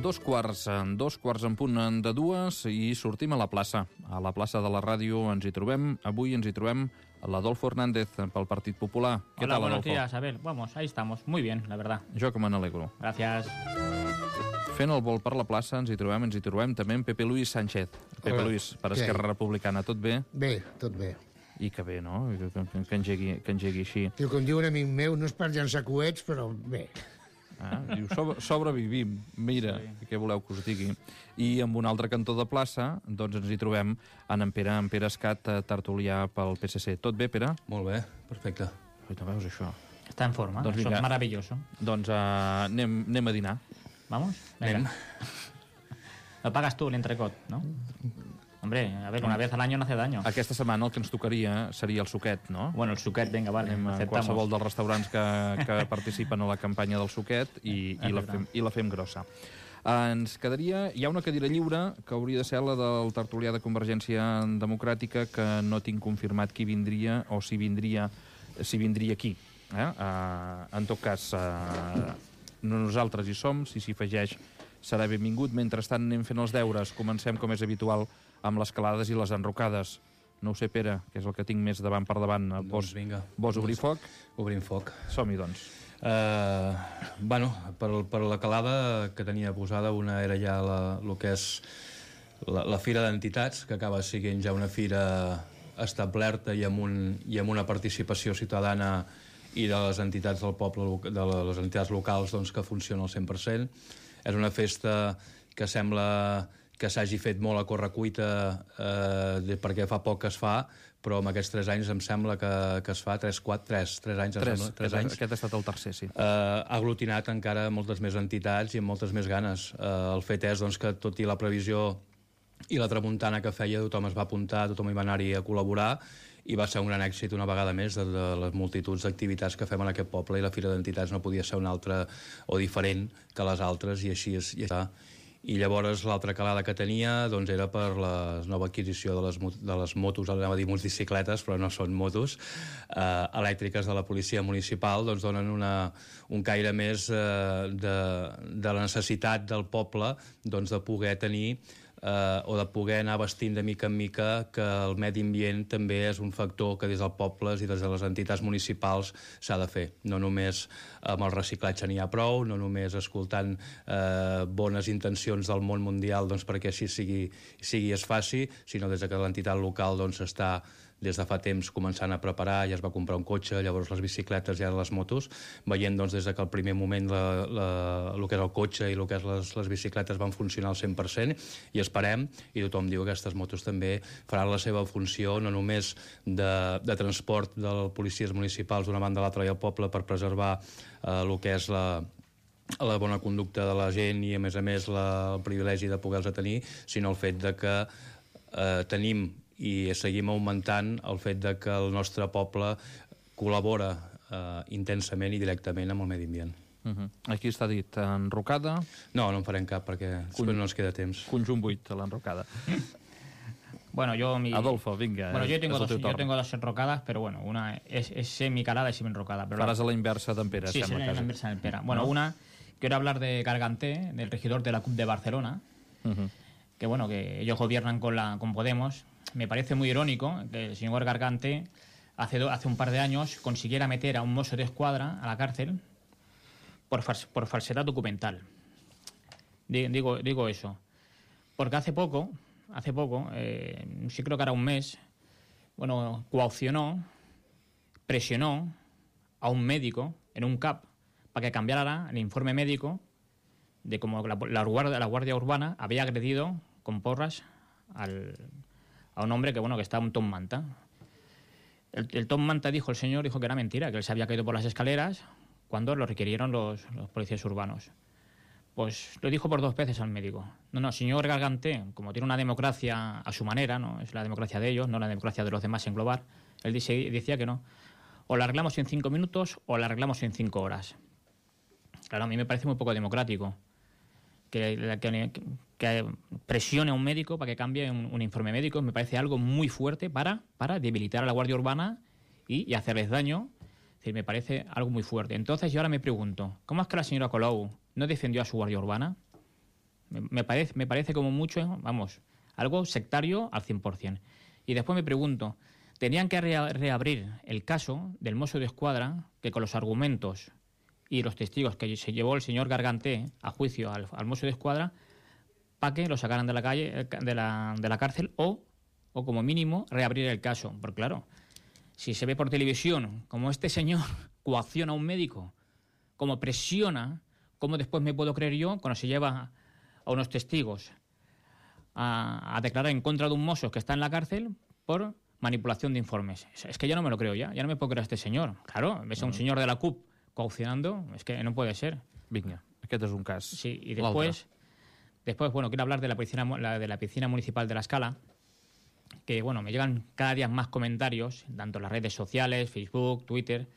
Dos quarts en punt de dues i sortim a la plaça. A la plaça de la ràdio ens hi trobem. Avui ens hi trobem l'Adolfo Hernández pel Partit Popular. ¿Qué tal, buenos Adolfo? días, Abel. Vamos, ahí estamos. Muy bien, la verdad. Jo que me n'alegro. Gracias. Fent el vol per la plaça ens hi trobem també en Pepe Luis Sánchez. Pepe Luis, per Esquerra Republicana, tot bé? Bé, tot bé. I que bé, no? Que engegui així. Diu, com diu un amic meu, no és per llançar coets, però bé. Diu, sobrevivim, mira, sí. Què voleu que us digui. I amb un altre cantó de plaça doncs ens hi trobem en Pere Escat, tertulià pel PSC. Tot bé, Pere? Molt bé, perfecte. No veus això? Está en forma, doncs eso es maravilloso. Doncs anem a dinar. ¿Vamos? Venga. Lo pagas tú el entrecot, ¿no? Hombre, a ver, una vez al año no hace daño. Aquesta setmana el que ens tocaria seria el suquet, no? Bueno, el suquet, venga, vale, anem a qualsevol dels restaurants que participen a la campanya del suquet i la fem grossa. Ens quedaria... Hi ha una cadira lliure que hauria de ser la del tertulià de Convergència Democràtica, que no tinc confirmat qui vindria o si vindria aquí. En tot cas, nosaltres hi som, si s'hi afegeix serà benvingut. Mentrestant anem fent els deures. Comencem, com és habitual, amb les calades i les enrocades. No ho sé, Pere, que és el que tinc més davant per davant. Doncs vinga. Vols obrir foc? Obrim foc. Som-hi, doncs. Per la calada que tenia posada, una era ja el que és la Fira d'Entitats, que acaba sent ja una fira establerta i amb una participació ciutadana i de les entitats del poble, de les entitats locals, doncs, que funciona al 100%. És una festa que sembla que s'hagi fet molt a correcuita perquè fa poc que es fa, però en aquests 3 anys em sembla que es fa 3 anys. Aquest ha estat el tercer, sí. Ha aglutinat encara moltes més entitats i amb moltes més ganes. El fet és doncs, que tot i la previsió i la tramuntana que feia, tothom es va apuntar, tothom hi va anar-hi a col·laborar i va ser un gran èxit una vegada més de les multituds d'activitats que fem en aquest poble, i la Fira d'Entitats no podia ser una altra o diferent que les altres, i així està. I llavors l'altra calada que tenia doncs, era per la nova adquisició de les motos, anava a dir motocicletes, però no són motos, elèctriques de la policia municipal, doncs donen un caire més de la necessitat del poble doncs, de poder tenir o de poder anar vestint de mica en mica, que el medi ambient també és un factor que des dels pobles i des de les entitats municipals s'ha de fer. No només amb el reciclatge n'hi ha prou, no només escoltant bones intencions del món mundial doncs, perquè així sigui es faci, sinó des que l'entitat local doncs, està des de fa temps començant a preparar, ja es va comprar un cotxe, llavors les bicicletes i ara les motos, veient doncs, des que el primer moment el que és el cotxe i el que és les bicicletes van funcionar al 100%, i esperem, i tothom diu que aquestes motos també faran la seva funció, no només de transport de policies municipals d'una banda a l'altra i al poble per preservar el que és la bona conducta de la gent i a més el privilegi de poder-los tenir, sinó el fet de que tenim i seguim augmentant el fet de que el nostre poble col·labora intensament i directament amb el medi ambient. Aquí està dit enrocada. No en farem cap perquè no ens queda temps. Conjunt 8 a l'enrocada. Bueno, Adolfo, venga. Bueno, yo tengo dos enrocadas, pero bueno, una es semi-calada y semi-enrocada. Faràs a la inversa d'en Pere, sí, sembla. Sí, a la inversa d'en Pere. Bueno, una, quiero hablar de Garganté, del regidor de la CUP de Barcelona, que bueno, que ellos gobiernan con Podemos. Me parece muy irónico que el señor Garganté hace un par de años consiguiera meter a un mozo de escuadra a la cárcel por falsedad documental. Digo eso. Porque hace poco, sí creo que era un mes, bueno, presionó a un médico en un CAP para que cambiara el informe médico de cómo la Guardia Urbana había agredido con porras a un hombre que está un Tom Manta. El Tom Manta dijo que era mentira, que él se había caído por las escaleras cuando lo requirieron los policías urbanos. Pues lo dijo por 2 veces al médico. No, señor Garganté, como tiene una democracia a su manera, no es la democracia de ellos, no la democracia de los demás en global, él decía que no. O la arreglamos en 5 minutos o la arreglamos en 5 horas. Claro, a mí me parece muy poco democrático que presione a un médico para que cambie un informe médico. Me parece algo muy fuerte para debilitar a la Guardia Urbana y hacerles daño. Es decir, me parece algo muy fuerte. Entonces yo ahora me pregunto, ¿cómo es que la señora Colau no defendió a su Guardia Urbana? Me parece como mucho, vamos, algo sectario al 100%. Y después me pregunto, tenían que reabrir el caso del Mosso d'Esquadra, que con los argumentos y los testigos que se llevó el señor Garganté a juicio al Mosso d'Esquadra, para que lo sacaran de la calle, de la cárcel, o como mínimo reabrir el caso. Porque claro, si se ve por televisión como este señor coacciona a un médico, como presiona, ¿cómo después me puedo creer yo cuando se lleva a unos testigos a declarar en contra de un mozo que está en la cárcel por manipulación de informes? Es que ya no me lo creo ya no me puedo creer a este señor. Claro, ves a un señor de la CUP coaccionando, es que no puede ser. Vinga, aquest és un cas. Sí, y después, bueno, quiero hablar de la piscina municipal de La Escala, que, bueno, me llegan cada día más comentarios, tanto en las redes sociales, Facebook, Twitter.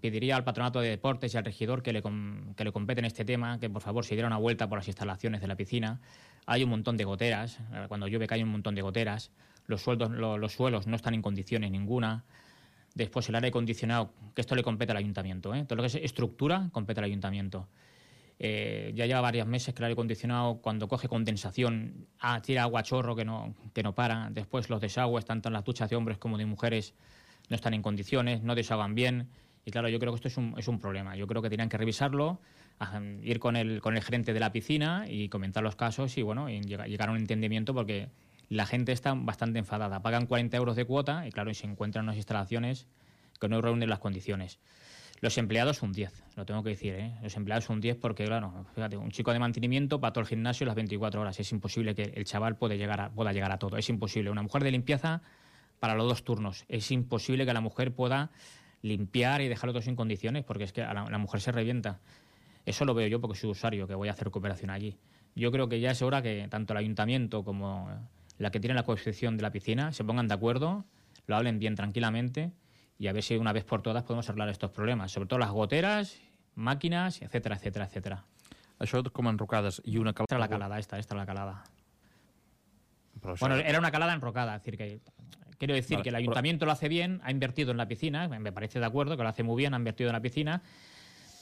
Pediría al Patronato de Deportes y al regidor que le competen este tema, que por favor se diera una vuelta por las instalaciones de la piscina. Hay un montón de goteras, cuando llueve cae un montón de goteras, los suelos no están en condiciones ninguna. Después el aire acondicionado, que esto le compete al ayuntamiento, todo lo que es estructura compete al ayuntamiento. Ya lleva varios meses que el aire acondicionado, cuando coge condensación, tira agua a chorro que no para. Después los desagües, tanto en las duchas de hombres como de mujeres, no están en condiciones, no desaguan bien. Y claro, yo creo que esto es un problema. Yo creo que tenían que revisarlo, ir con el gerente de la piscina y comentar los casos y, bueno, y llegar a un entendimiento, porque la gente está bastante enfadada. Pagan 40 euros de cuota y, claro, y se encuentran unas instalaciones que no reúnen las condiciones. Los empleados un 10, lo tengo que decir, ¿eh? Los empleados un 10 porque, claro, fíjate, un chico de mantenimiento para todo el gimnasio las 24 horas. Es imposible que el chaval pueda llegar a todo. Es imposible. Una mujer de limpieza para los 2 turnos. Es imposible que la mujer pueda limpiar y dejarlo todo sin condiciones, porque es que la mujer se revienta. Eso lo veo yo porque soy usuario, que voy a hacer cooperación allí. Yo creo que ya es hora que tanto el ayuntamiento como la que tiene la concesión de la piscina se pongan de acuerdo, lo hablen bien tranquilamente y a ver si una vez por todas podemos arreglar estos problemas, sobre todo las goteras, máquinas, etcétera, etcétera, etcétera. Això com enrocades i una calada... Esta es la calada. Però això... Bueno, era una calada enrocada, es decir, que quiero decir vale, que el ayuntamiento lo hace bien, ha invertido en la piscina, me parece de acuerdo, que lo hace muy bien, ha invertido en la piscina,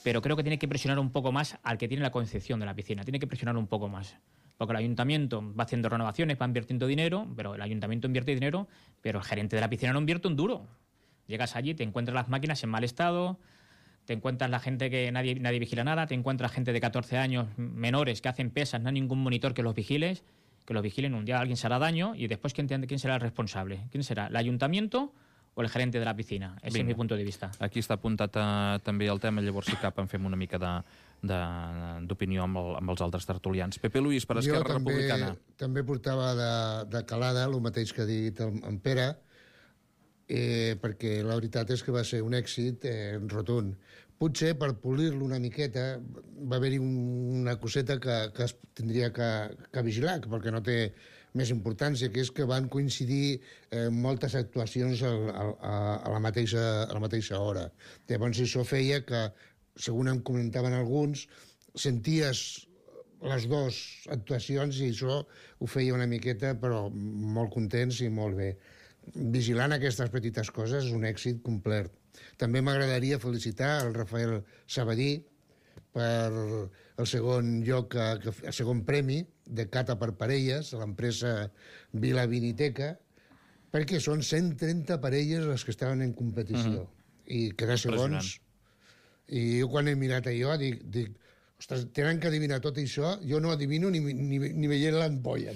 pero creo que tiene que presionar un poco más al que tiene la concepción de la piscina, tiene que presionar un poco más. Porque el ayuntamiento va haciendo renovaciones, va invirtiendo dinero, pero el ayuntamiento invierte dinero, pero el gerente de la piscina no invierte un duro. Llegas allí, te encuentras las máquinas en mal estado, te encuentras la gente que nadie vigila nada, te encuentras gente de 14 años menores que hacen pesas, no hay ningún monitor que los vigilen, un día alguien se hará daño y después ¿quién será el responsable? ¿Quién será? ¿El ayuntamiento o el gerente de la piscina? Ese es mi punto de vista. Aquí està apuntat també el tema, llavors si cap en fem una mica d'opinió amb els altres tertulians. Pepe Luis, per Esquerra Republicana. Jo també portava de calada el mateix que ha dit en Pere, perquè la veritat és que va ser un èxit rotund. Potser per polir-lo una miqueta va haver-hi una coseta que es tindria que vigilar, perquè no té més importància, que és que van coincidir moltes actuacions a la mateixa hora. Llavors això feia que, segons em comentaven alguns, senties les dues actuacions i això ho feia una miqueta, però molt contents i molt bé. Vigilant aquestes petites coses és un èxit complet. També m'agradaria felicitar el Rafael Sabadí per el segon lloc, el segon premi de cata per parelles a l'empresa Vila Viniteca, perquè són 130 parelles les que estaven en competició. I quedar segons. I jo quan he mirat allò dic ostres, tenen que adivinar tot això, jo no adivino ni veient l'ampolla.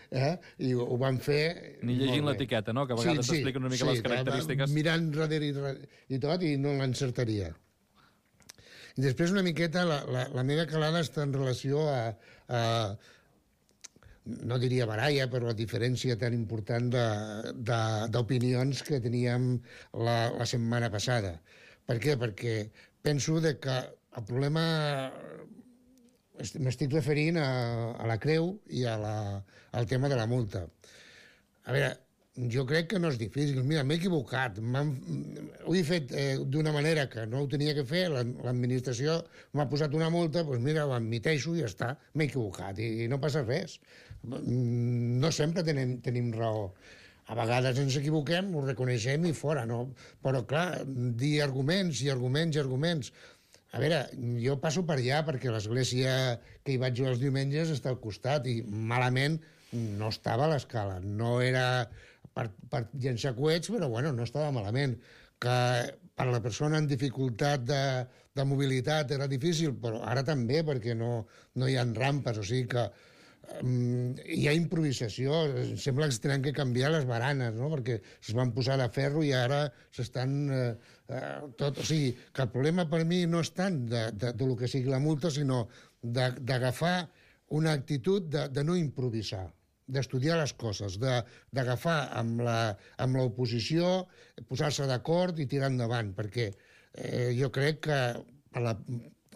I ho van fer... Ni llegint l'etiqueta, no? Que a vegades t'expliquen una mica les característiques. Mirant darrere i tot i no l'encertaria. I després una miqueta la meva calada està en relació a no diria baralla, però la diferència tan important d'opinions que teníem la setmana passada. Per què? Perquè penso que el problema... M'estic referint a la creu i al tema de la multa. A veure, jo crec que no és difícil. Mira, m'he equivocat. Ho he fet d'una manera que no ho tenia que fer, l'administració m'ha posat una multa, doncs mira, ho admiteixo i ja està, m'he equivocat i no passa res. No sempre tenim raó. A vegades ens equivoquem, ho reconeixem i fora, no? Però, clar, dir arguments i arguments i arguments. A veure, jo passo per allà perquè l'església que hi vaig jo els diumenges està al costat i malament no estava a l'escala. No era per llençar coets, però bueno, no estava malament. Que per la persona en dificultat de mobilitat era difícil, però ara també, perquè no hi ha rampes, o sigui que hi ha improvisació. Sembla que es tenen que canviar les baranes, no? Perquè es van posar de ferro i ara s'estan tot... O sigui, que el problema per mi no és tant de lo que sigui la multa, sinó d'agafar una actitud de no improvisar, d'estudiar les coses, d'agafar amb l'oposició, posar-se d'acord i tirar endavant, perquè jo crec que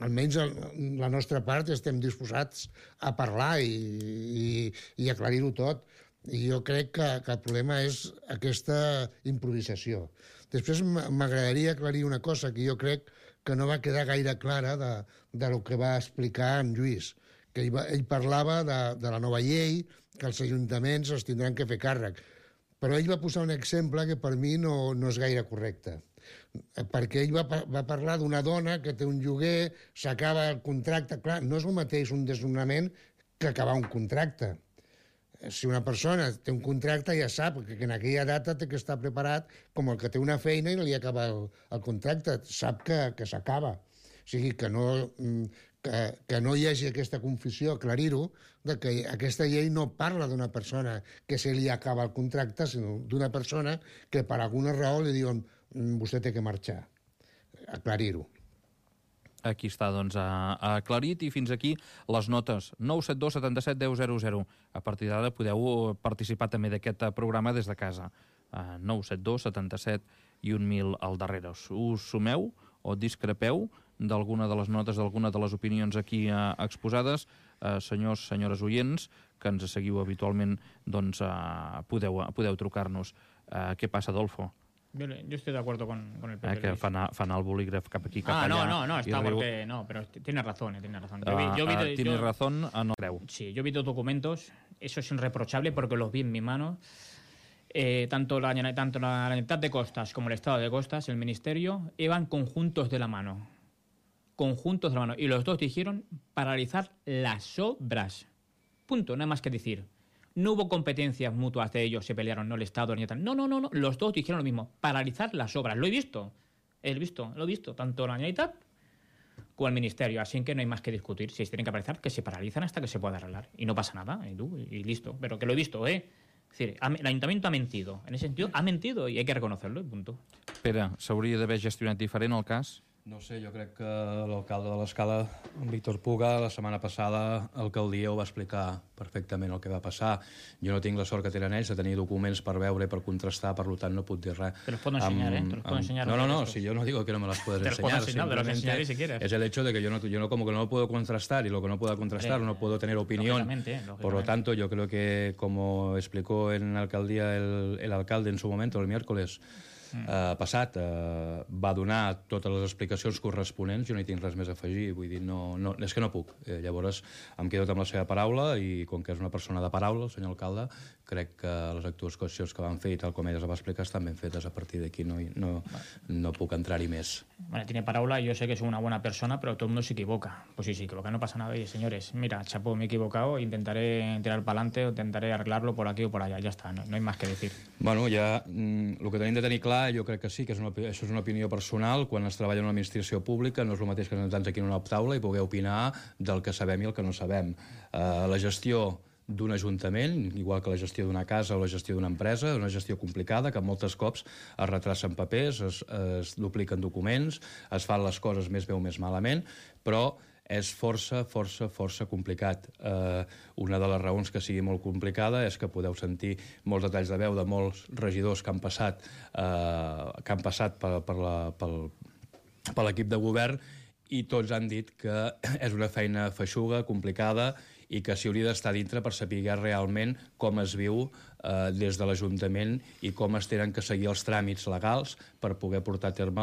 almenys la nostra part estem disposats a parlar i aclarir-ho tot. I jo crec que el problema és aquesta improvisació. Després m'agradaria aclarir una cosa que jo crec que no va quedar gaire clara de lo que va explicar en Lluís, que ell parlava de la nova llei, que els ajuntaments els tindran que fer càrrec. Però ell va posar un exemple que per mi no és gaire correcte, perquè ell va parlar d'una dona que té un lloguer, s'acaba el contracte. Clar, no és el mateix un desnonament que acabar un contracte. Si una persona té un contracte ja sap que en aquella data té que estar preparat com el que té una feina i no li acaba el contracte, sap que s'acaba. O sigui, que no hi hagi aquesta confusió, aclarir-ho, que aquesta llei no parla d'una persona que se li acaba el contracte, sinó d'una persona que per alguna raó li diuen vostè té que marxar. Aclarir-ho. Aquí està, doncs, aclarit. I fins aquí les notes. 972 77 10 00. A partir d'ara podeu participar també d'aquest programa des de casa. 972 77 i 1000 al darrere. Us sumeu o discrepeu d'alguna de les notes, d'alguna de les opinions aquí exposades? Senyors, senyores oients, que ens seguiu habitualment, doncs podeu trucar-nos. Què passa, Adolfo? Yo estoy de acuerdo con el PP. Que fan el bolígraf cap aquí, cap allà. No, está porque... No, pero tiene razón, tiene razón. Tienes razón, no creu. Sí, yo vi dos documentos, eso es irreprochable porque los vi en mi mano. Tanto la Generalitat de Costas como el Estado de Costas, el Ministerio, iban conjuntos de la mano. Conjuntos de la mano. Y los dos dijeron paralizar las obras. Punto, nada más que decir. No hubo competencias mutuas de ellos, se pelearon, no el Estado ni tal. No. Los dos dijeron lo mismo, paralizar las obras. Lo he visto, tanto la Generalitat como el Ministerio. Así que no hay más que discutir. Si se tienen que paralizar, que se paralizan hasta que se pueda arreglar. Y no pasa nada, y listo. Pero que lo he visto, Es decir, el Ayuntamiento ha mentido. En ese sentido, ha mentido y hay que reconocerlo, y punto. Pere, s'hauria d'haver gestionat diferent el cas? No sé, jo crec que l'alcalde de l'Escala, en Víctor Puga, la setmana passada a l'alcaldia ho va explicar perfectament el que va passar. Jo no tinc la sort que tenen ells de tenir documents per veure i per contrastar, per tant no puc dir res. Te los puedo enseñar, Te los puedo enseñar. No, si yo no digo que no me las puedes enseñar. Te los enseñaré si quieres. Es el hecho de que yo no como que no lo puedo contrastar, y lo que no puedo contrastar no puedo tener opinión. Por lo tanto, yo creo que, como explicó en la alcaldía el alcalde en su momento, el miércoles passat, va donar totes les explicacions corresponents. Jo no hi tinc res més a afegir, vull dir, no, és que no puc. Llavors em quedo amb la seva paraula, i com que és una persona de paraula, el senyor alcalde, crec que les actuacions que van fer, i tal com ella les va explicar, estan ben fetes. A partir d'aquí no puc entrar-hi més. Bueno, tiene paraula, yo sé que es una buena persona, pero todo el mundo se equivoca. Pues si se equivoca no pasa nada. Oye, señores, mira, chapó, me he equivocado, intentaré tirar para adelante o intentaré arreglarlo por aquí o por allá. Ya está, no hay más que decir. Bueno, ja el que tenim de tenir clar, jo crec que sí, que això és una opinió personal. Quan es treballa en una administració pública no és el mateix que sentar-nos aquí en una taula i poder opinar del que sabem i el que no sabem. La gestió d'un ajuntament, igual que la gestió d'una casa o la gestió d'una empresa, és una gestió complicada, que molts cops es retracen papers, es dupliquen documents, es fan les coses més bé o més malament, però és força complicat. Una de les raons que sigui molt complicada és que podeu sentir molts detalls de veu de molts regidors que han passat per l'equip de govern, i tots han dit que és una feina feixuga, complicada, i que s'hi hauria d'estar dintre per saber realment com es viu des de l'Ajuntament i com es tenen que seguir els tràmits legals per poder portar a terme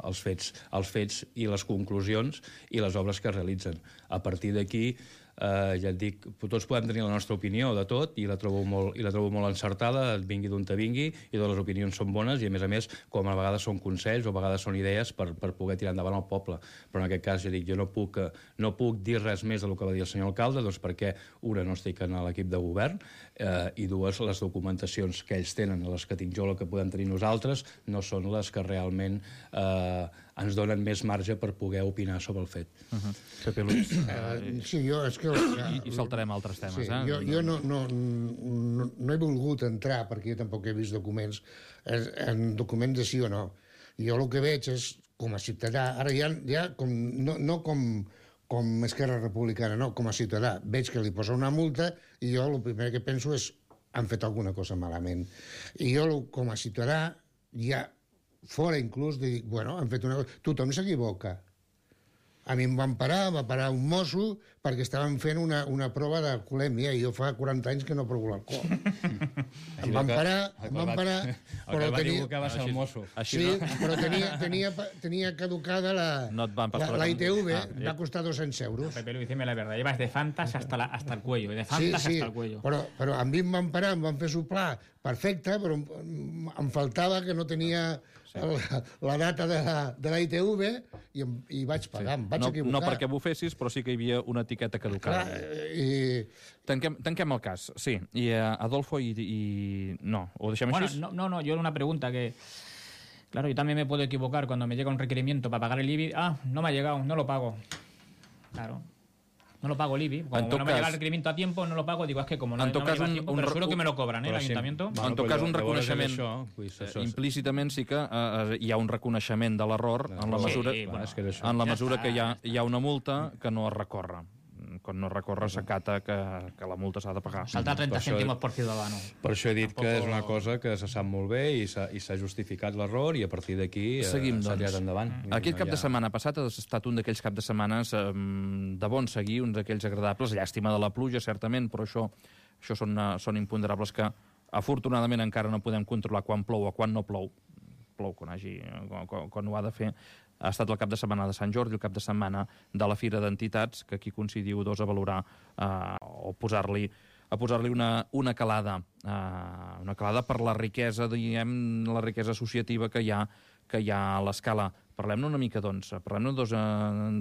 els fets i les conclusions i les obres que es realitzen. A partir d'aquí, ja et dic, tots podem tenir la nostra opinió de tot i la trobo molt encertada, vingui d'on te vingui, i totes les opinions són bones i, a més, com a vegades són consells o a vegades són idees per poder tirar endavant el poble. Però en aquest cas, ja dic, jo no puc dir res més del que va dir el senyor alcalde, doncs perquè, una, no estic en l'equip de govern, i dues, les documentacions que ells tenen, les que tinc jo, les que podem tenir nosaltres, no són les que realment ens donen més marge per poder opinar sobre el fet. Pepe Luis. Sí, jo és que... I saltarem altres temes, Jo no he volgut entrar, perquè jo tampoc he vist documents, en documents de sí o no. Jo el que veig és, com a ciutadà, ara ja no com Esquerra Republicana, no, com a ciutadà, veig que li posa una multa i jo el primer que penso és han fet alguna cosa malament. I jo, com a ciutadà, ja fora inclús de dir, bueno, han fet una cosa... Tothom s'equivoca. A mi em va parar un mosso perquè estaven fent una prova d'alcoholèmia i jo fa 40 anys que no provo l'alcohol. Em van parar... El que va equivocar va ser el mosso. Sí, però tenia caducada la ITV, va costar 200 euros. Pepe Luis, dime la verdad, llevas de Fantas hasta el cuello, de Fantas hasta el cuello. Però a mi em van parar, em van fer soplar perfecte, però em faltava que no tenia la data de la ITV i vaig pagar, em vaig equivocar. No perquè bufessis, però sí que hi havia una etiqueta caducada. Tanquem el cas, sí. I Adolfo no, ¿o deixem així? No, yo una pregunta que... Claro, yo también me puedo equivocar cuando me llega un requerimiento para pagar el IBI. No me ha llegado, no lo pago. Claro. No lo pago el IBI. Como no me llega el requerimiento a tiempo, no lo pago. Digo, es que como no me llega a tiempo, pero seguro que me lo cobran, el ayuntamiento. En tot cas, un reconeixement... Implícitament sí que hi ha un reconeixement de l'error en la mesura que hi ha una multa que no es recorre. Quan no recorre, s'acata que la multa s'ha de pagar. Salta 30 cèntimos por ciudadano. Per això he dit que és una cosa que se sap molt bé i s'ha justificat l'error i a partir d'aquí s'ha tirat endavant. Aquest cap de setmana passat ha estat un d'aquells cap de setmanes de bon seguir, uns d'aquells agradables, llàstima de la pluja, certament, però això són imponderables que afortunadament encara no podem controlar quan plou o quan no plou. Plou quan ho ha de fer. Ha estat el cap de setmana de Sant Jordi, el cap de setmana de la Fira d'Entitats, que aquí coincidiu dos a valorar o posar-li una calada per la riquesa, diguem, la riquesa associativa que hi ha a l'Escala. Parlem-ne una mica, doncs, parlem-ne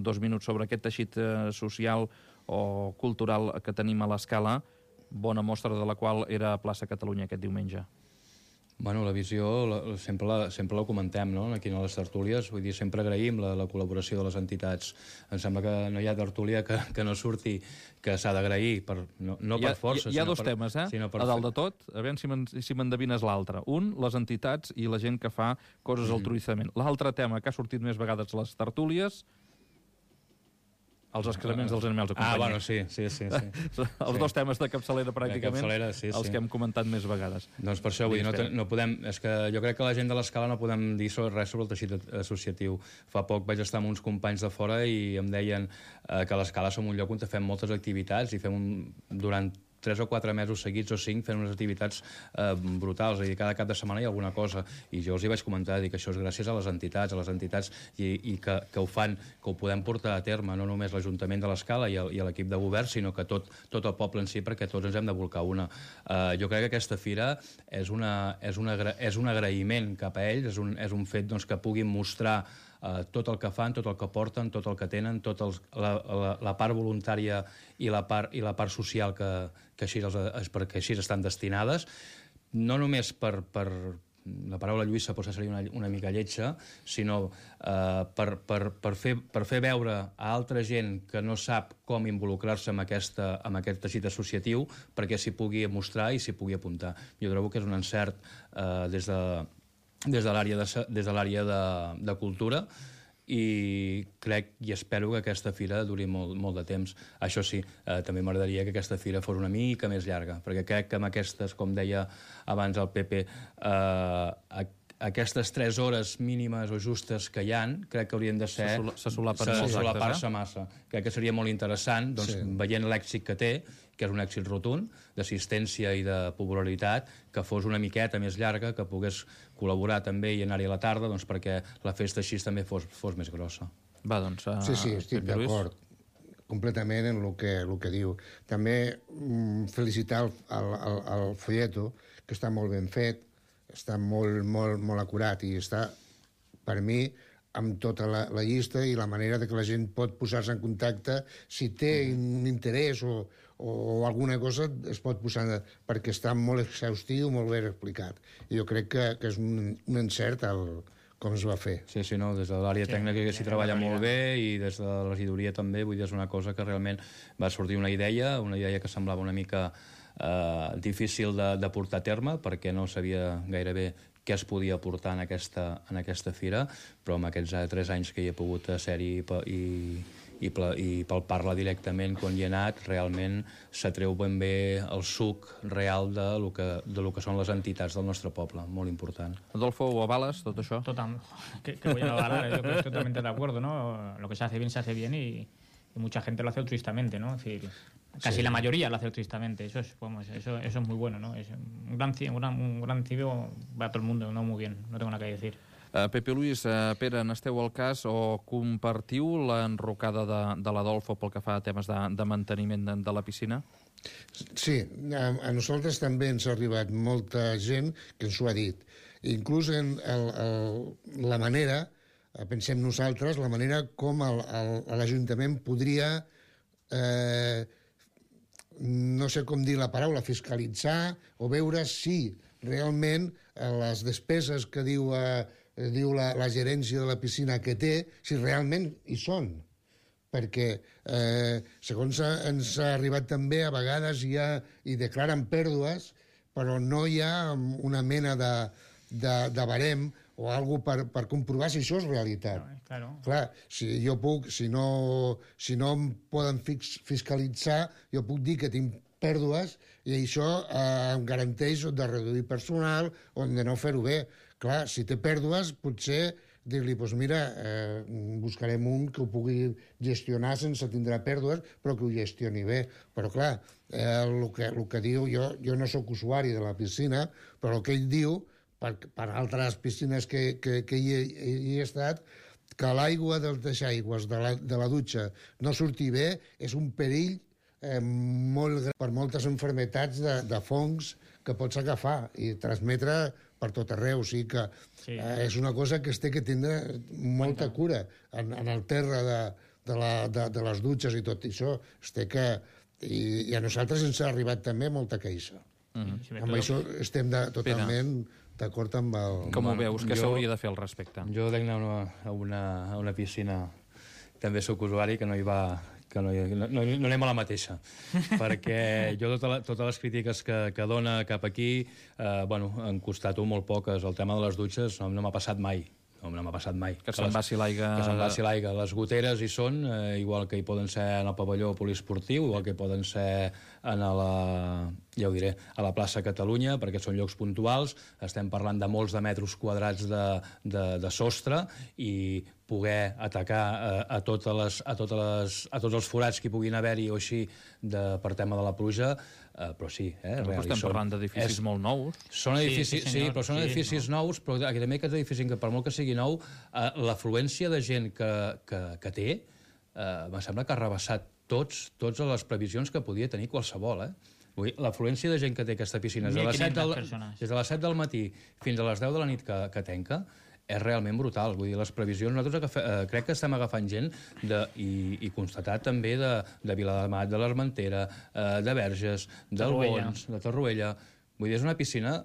dos minuts sobre aquest teixit social o cultural que tenim a l'Escala, bona mostra de la qual era a Plaça Catalunya aquest diumenge. Bueno, la visió sempre la comentem, no?, aquí a les tertúlies. Vull dir, sempre agraïm la col·laboració de les entitats. Em sembla que no hi ha tertúlia que no surti que s'ha d'agrair, no per força. Hi ha dos temes, a dalt de tot, a veure si m'endevines l'altre. Un, les entitats i la gent que fa coses altruïstament. L'altre tema que ha sortit més vegades a les tertúlies, els excrements dels animals de companyia. Bueno, sí. Els dos temes de capçalera, pràcticament, els que hem comentat més vegades. Doncs per això, vull dir, no podem... És que jo crec que la gent de l'Escala no podem dir res sobre el teixit associatiu. Fa poc vaig estar amb uns companys de fora i em deien que a l'Escala som un lloc on fem moltes activitats i fem durant 3 o 4 mesos seguits o 5 fent unes activitats brutals, i cada cap de setmana hi ha alguna cosa, i jo els hi vaig comentar, que això és gràcies a les entitats i que ho fan, que ho podem portar a terme, no només l'Ajuntament de l'Escala i l'equip de govern, sinó que tot el poble en si, perquè tots ens hem de volcar una. Jo crec que aquesta fira és un agraïment cap a ells, és un fet que puguin mostrar tot el que fan, tot el que porten, tot el que tenen, la part voluntària i la part social perquè així estan destinades, no només per la paraula Lluïssa potser seria una mica lletja, sinó per fer veure a altra gent que no sap com involucrar-se amb aquest teixit associatiu perquè s'hi pugui mostrar i s'hi pugui apuntar. Jo trobo que és un encert des de l'àrea de cultura, i crec i espero que aquesta fira duri molt de temps. Això sí, també m'agradaria que aquesta fira fos una mica més llarga, perquè crec que amb aquestes, com deia abans el Pepe, aquestes 3 hores mínimes o justes que hi han, crec que haurien de ser... Se solapar-se massa. Crec que seria molt interessant, doncs, veient l'èxit que té, que és un èxit rotund, d'assistència i de popularitat, que fos una miqueta més llarga, que pogués col·laborar també i anar-hi a la tarda, doncs, perquè la festa així també fos més grossa. Va, doncs... Sí, estic d'acord completament en el que diu. També felicitar el folleto, que està molt ben fet, està molt acurat i està, per mi, amb tota la llista i la manera de que la gent pot posar-se en contacte si té un interès o alguna cosa es pot posar, perquè està molt exhaustiu, molt ben explicat. I jo crec que és un encert com es va fer. Sí, no, des de l'àrea tècnica que s'hi treballa molt bé i des de la regidoria també, vull dir, és una cosa que realment va sortir una idea que semblava una mica difícil de portar a terme, perquè no sabia gairebé què es podia portar en aquesta fira, però amb aquests 3 anys que hi he pogut ser-hi i palpar-la directament quan hi he anat, realment s'atreu ben bé el suc real de lo que són les entitats del nostre poble, molt important. Adolfo, ¿o avales tot això? Total, que voy a avalar, yo estoy totalmente de acuerdo, ¿no? Lo que se hace bien y mucha gente lo hace altruistamente, ¿no? Es decir, casi la mayoría lo hace altruistamente, eso es muy bueno, ¿no? Es un gran civil para todo el mundo, no muy bien, no tengo nada que decir. Pepe Luis, Pere, n'esteu al cas o compartiu l'enrocada de l'Adolfo pel que fa a temes de manteniment de la piscina? Sí, a nosaltres també ens ha arribat molta gent que ens ho ha dit. Inclús en la manera, pensem nosaltres, la manera com l'Ajuntament podria, no sé com dir la paraula, fiscalitzar o veure si realment les despeses que diu la gerència de la piscina que té, si realment hi són. Perquè, segons ens ha arribat també, a vegades hi declaren pèrdues, però no hi ha una mena de barem o alguna cosa per comprovar si això és realitat. Claro. Clar, si no em poden fiscalitzar, jo puc dir que tinc pèrdues i això em garanteix de reduir personal o de no fer-ho bé. Clar, si té pèrdues, potser dir-li, doncs mira, buscarem un que ho pugui gestionar sense tindre pèrdues, però que ho gestioni bé. Però clar, el que diu, jo no sóc usuari de la piscina, però el que ell diu, per altres piscines que hi he estat, que l'aigua dels aigües de la dutxa no surti bé és un perill molt gran per moltes malalties de fongs que pots agafar i transmetre per tot arreu. O sigui que és una cosa que es té que tindre molta cura en el terra de les dutxes i tot això. I a nosaltres ens ha arribat també molta queixa. Amb això estem totalment d'acord amb el... Com ho veus? Què s'hauria de fer al respecte? Jo dec anar a una piscina, també soc usuari, que no hi va... no anem a la mateixa, perquè jo totes les crítiques que dona cap aquí, han costat molt poques. El tema de les dutxes no m'ha passat mai. No m'ha passat mai. Que se'n vagi l'aigua... Que se'n vagi l'aigua. Les goteres hi són, igual que hi poden ser en el pavelló poliesportiu, igual que hi poden ser a la plaça Catalunya, perquè són llocs puntuals. Estem parlant de molts de metres quadrats de sostre i poder atacar a tots els forats que hi puguin haver-hi o així per tema de la pluja, però sí. Estem parlant d'edificis molt nous. Són edificis, sí, però són edificis nous, però també aquests edificis, que per molt que sigui nou, l'afluència de gent que té, em sembla que ha rebassat totes les previsions que podia tenir qualsevol, l'afluència de gent que té aquesta piscina des de les 7 del matí fins a les 10 de la nit que tanca és realment brutal. Vull dir, les previsions, nosaltres crec que estem agafant gent i constatat també de Viladamat, de l'Armentera, de Verges, del Bons, de Torroella. Vull dir, és una piscina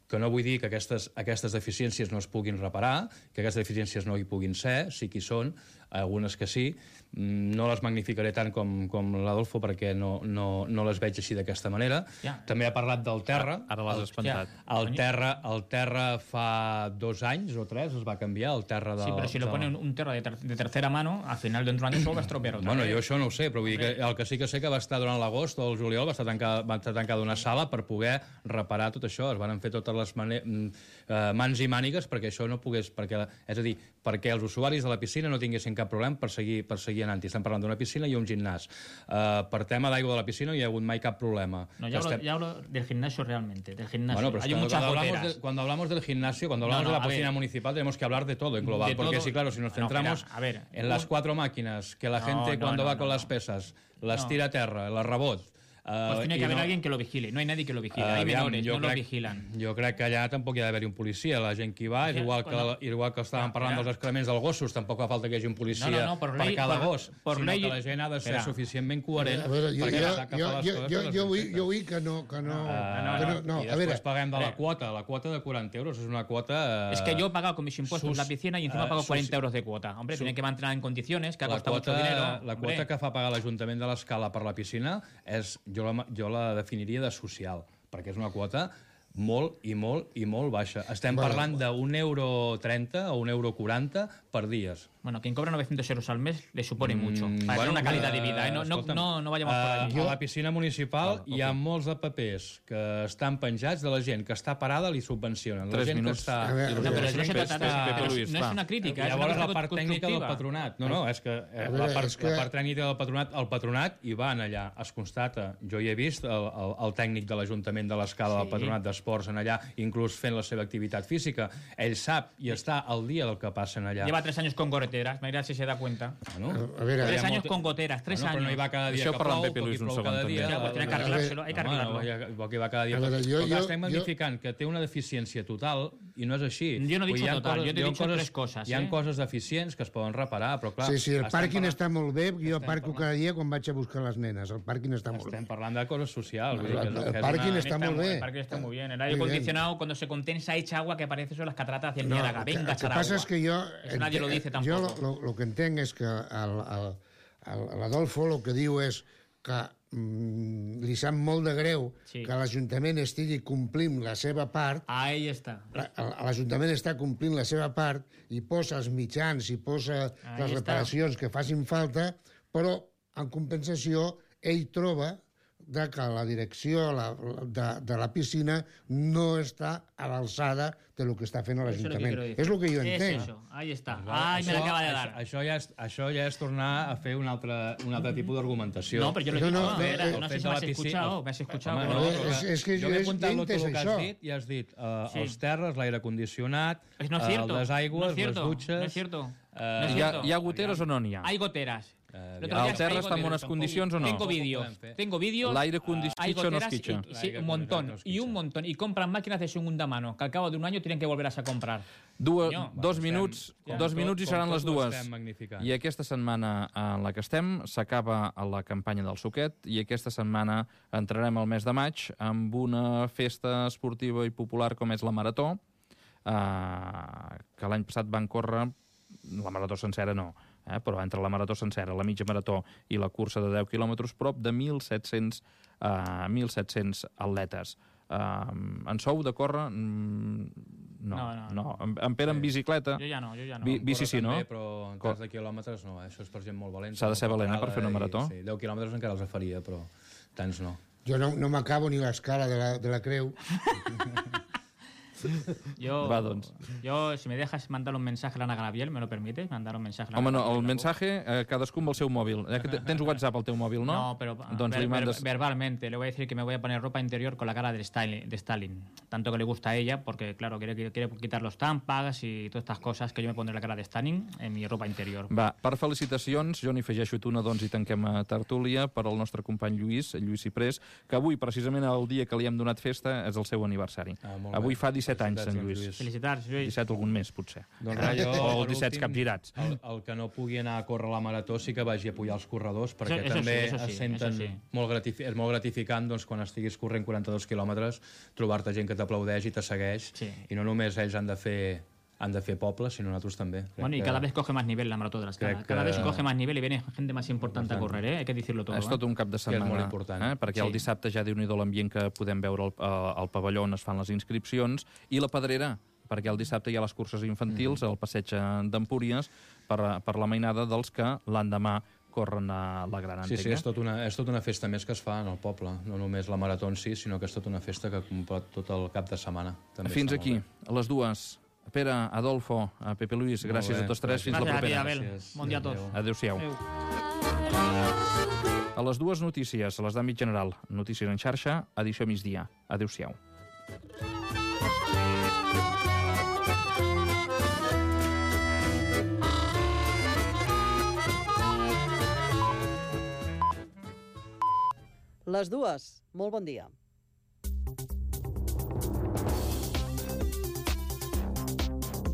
que no vull dir que aquestes deficiències no es puguin reparar, que aquestes deficiències no hi puguin ser, sí que hi són, algunes que sí. No les magnificaré tant com l'Adolfo perquè no les veig així d'aquesta manera. També ha parlat del terra. Ara l'has espantat. El terra fa 2 anys o 3 es va canviar, el terra de... Sí, però si lo ponen un terra de tercera mano, al final dentro de un año va a estropear otra vez. Bueno, jo això no ho sé, però vull dir que el que sí que sé que va estar durant l'agost o el juliol va estar tancada una sala per poder reparar tot això. Es van fer totes les mans i mànigues perquè això no pogués... És a dir, perquè els usuaris de la piscina no tinguessin cap problema per seguir anant-hi. Estem parlant d'una piscina i un gimnàs. Per tema d'aigua de la piscina no hi ha hagut mai cap problema. No, ya hablo del gimnasio realmente, del gimnasio. Bueno, pero hay muchas goteras. Cuando hablamos del gimnasio, cuando hablamos de la piscina municipal, tenemos que hablar de todo en global. Porque sí, claro, si nos centramos en las 4 máquinas, que la gente cuando va con las pesas las tira a terra, las rebot... Pues tiene que haber alguien que lo vigile. No hay nadie que lo vigile. Hay menores, no lo vigilan. Jo crec que allà tampoc hi ha d'haver-hi un policia. La gent que hi va, és igual que estàvem parlant dels excrements dels gossos, tampoc fa falta que hi hagi un policia per cada gos, sinó que la gent ha de ser suficientment coherent perquè sap que fa les coses. Jo vull que no... I després paguem de la quota. La quota de 40 euros és una quota... Es que yo he pagado con mis impuestos la piscina y encima pago 40 euros de cuota. Hombre, tiene que mantener en condiciones, que ha costado mucho dinero. La quota que fa pagar l'Ajuntament de l'Escala per la piscina és... Jo la definiria de social, perquè és una quota molt baixa. Estem parlant d'1,30 € o 1,40 € per dies. Bueno, quien cobra 900 euros al mes le supone mucho. Para tener una calidad de vida. No vayamos por allí. A la piscina municipal hi ha molts de papers que estan penjats de la gent que està parada li subvencionen. 3 minuts. Pero no se trata no es una crítica. Llavors la part tècnica del patronat. No, és que la part tècnica del patronat, el patronat hi van allà, es constata. Jo hi he vist el tècnic de l'Ajuntament de l'Escala del Patronat d'Esports en allà, inclús fent la seva activitat física. Ell sap i està al dia del que passen allà. Lleva 3 años con goteras, mira si se da cuenta. Bueno, 3 años con goteras, 3 años. Però no hi va cada dia que plou, perquè plou cada dia. Tiene que arreglárselo, hay que arreglarlo. Vol que va cada dia. Però estem magnificant que té una deficiència total i no és així. Jo no he dit total, jo he dit 3 coses. Hi ha coses deficients que es poden reparar, però clar... Sí, el pàrquing està molt bé, jo parco cada dia quan vaig a buscar les nenes. El pàrquing està molt bé. Estem parlant de coses socials. El pàrquing està molt bé. El pàrquing està molt bé. El aire acondicionado, cuando se condensa, echa agua que parece eso las cataratas del Niágara. Venga, echar agua. Lo que pasa es que yo... Eso nadie lo dice tampoco. Jo lo que entenc és que l'Adolfo el que diu és que li sap molt de greu que l'Ajuntament estigui complint la seva part. Ahí està. L'Ajuntament està complint la seva part i posa els mitjans i posa les reparacions que facin falta, però en compensació ell troba que la direcció de la piscina no està a l'alçada del que està fent l'Ajuntament. És el que jo entenc. Eso, ahí está. Ai, me l'acaba de dar. Això ja és tornar a fer un altre tipus d'argumentació. No, però jo no sé si m'has escuchado. És que jo m'he apuntat tot el que has dit i has dit els terres, l'aire condicionat, les aigües, les dutxes... No es cierto. Hi ha goteres o no n'hi ha? Hay goteras. El terra està en unes condicions o no? Tengo vídeos. L'aire condicionado no es quicha. Sí, un montón. Y compran máquinas de segunda mano, que al cabo de un año tienen que volverlas a comprar. 2 minuts i seran les 2. I aquesta setmana en la que estem s'acaba la campanya del Suquet i aquesta setmana entrarem al mes de maig amb una festa esportiva i popular com és la Marató, que l'any passat van córrer, la Marató sencera no, però entre la Marató sencera, la mitja marató i la cursa de 10 quilòmetres, prop de 1.700 atletes. En sou de córrer? No. En Pere en bicicleta? Jo ja no. Bici sí, no? Però en cas de quilòmetres no, això és per gent molt valenta. S'ha de ser valent per fer una marató? Sí, 10 quilòmetres encara els faria, però tants no. Jo no m'acabo ni l'escala de la creu. Yo, si me dejas mandar un mensaje a l'Anna Gabriel, ¿me lo permites? Mandar un mensaje a Home, no, el mensaje, cadascú amb el seu mòbil. Tens WhatsApp al teu mòbil, no? No, pero verbalmente. Le voy a decir que me voy a poner ropa interior con la cara de Stalin. Tanto que le gusta a ella, porque, claro, quiere quitar los tampags y todas estas cosas, que yo me pondré la cara de Stalin en mi ropa interior. Va, per felicitacions, jo n'hi afegeixo una, doncs, i tanquem a tertúlia per al nostre company Lluís Ciprés, que avui, precisament el dia que li hem donat festa, és el seu aniversari. Avui fa 17 anys, Sant Lluís. Felicitats, Lluís. 17 algun més, potser. Doncs o els 17 capgirats. El que no pugui anar a córrer la marató sí que vagi a apoyar els corredors, perquè també es senten molt gratificant quan estiguis corrent 42 quilòmetres, trobar-te gent que t'aplaudeix i te segueix, i no només ells han de fer poble, sino nosotros también. Bueno, y cada vez coge más nivel la marató de la Escala. Cada vez coge más nivel y viene gente más importante a correr, hay que decirlo todo. És tot un cap de setmana. És molt important. Perquè el dissabte ja déu-n'hi-do l'ambient que podem veure al pavelló on es fan les inscripcions, i la Pedrera, perquè el dissabte hi ha les curses infantils al passeig d'Empúries per la mainada dels que l'endemà corren a la Gran, entenc. Sí, és tota una festa més que es fa en el poble. No només la marató en si, sinó que és tota una festa que completa tot el cap de setmana. També fins aquí, a les 2. Pere, Adolfo, Pepe Luis, gràcies a tots tres. Fins la propera. Bon dia a tots. Adéu-siau. A les 2 notícies, a les d'àmbit general. Notícies en xarxa, edició migdia. Adéu-siau. Les 2. Molt bon dia.